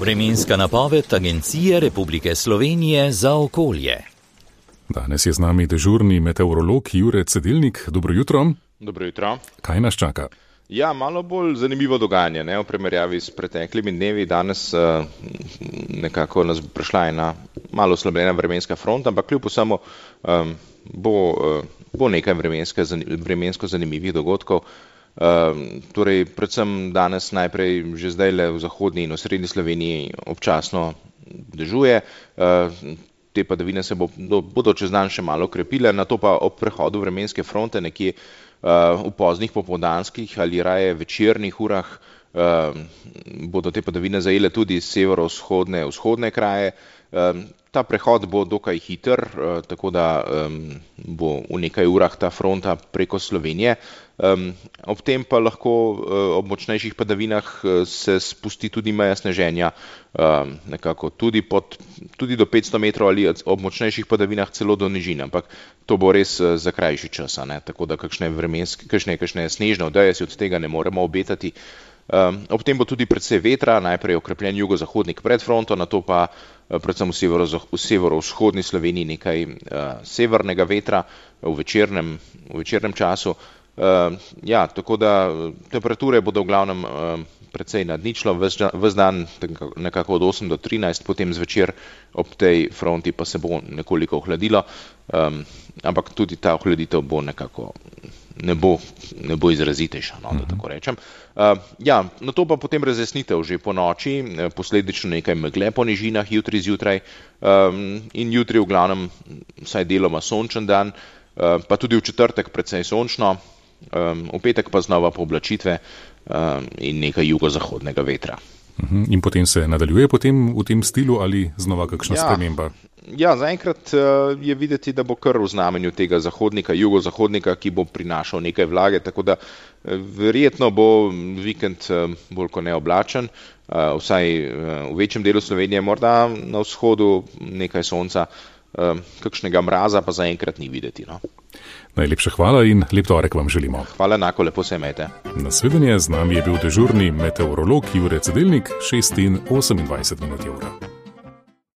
Vremenska napoved Agencije Republike Slovenije za okolje. Danes je z nami dežurni meteorolog Jure Cedilnik. Dobro jutro. Dobro jutro. Kaj nas čaka? Ja, malo bolj zanimivo dogajanje, v primerjavi s preteklimi dnevi. Danes nekako nas bo prišla ena malo oslabljena vremenska fronta, ampak kljub vsemu bo nekaj vremensko zanimivih dogodkov. Torej, predvsem danes najprej že zdajle v zahodni in osrednji Sloveniji občasno dežuje. Te padavine se bodo čez dan še malo krepile, nato pa ob prehodu vremenske fronte nekje v poznih popoldanskih ali raje večernih urah bodo te padavine zajele tudi severovzhodne kraje. Ta prehod bo dokaj hiter, tako da bo v nekaj urah ta fronta preko Slovenije. Ob tem pa lahko ob močnejših padavinah se spusti tudi meja sneženja, nekako tudi do 500 metrov ali ob močnejših padavinah celo do nižin, ampak to bo res za krajši čas, tako da kakšne snežne odeje si od tega ne moremo obetati. Ob tem bo tudi precej vetra, najprej okrepljen jugozahodnik pred fronto, nato pa predvsem v severovzhodni Sloveniji nekaj severnega vetra v večernem času. Ja, tako da temperature bodo v glavnem precej nad ničlo, ves dan nekako od 8 do 13, potem zvečer ob tej fronti pa se bo nekoliko ohladilo, ampak tudi ta ohladitev bo nekako ne bo izrazitejša, da tako rečem. Ja, nato pa potem razjasnitev že po noči, posledično nekaj megle po nižinah jutri zjutraj in jutri v glavnem vsaj deloma sončen dan, pa tudi v četrtek precej sončno, v petek pa znova pooblačitve in nekaj jugozahodnega vetra. In potem se nadaljuje v tem stilu ali znova kakšna sprememba? Ja, zaenkrat je videti, da bo kar v znamenju tega jugozahodnika, ki bo prinašal nekaj vlage, tako da verjetno bo vikend bolj kot neoblačen, vsaj v večjem delu Slovenije, morda na vzhodu nekaj sonca, kakšnega mraza pa zaenkrat ni videti. Najlepša hvala in lep torek vam želimo. Hvala, enako, lepo se imejte. Nasvidenje, z nami je bil dežurni meteorolog Jure Cedilnik, 6:28 minut je ura.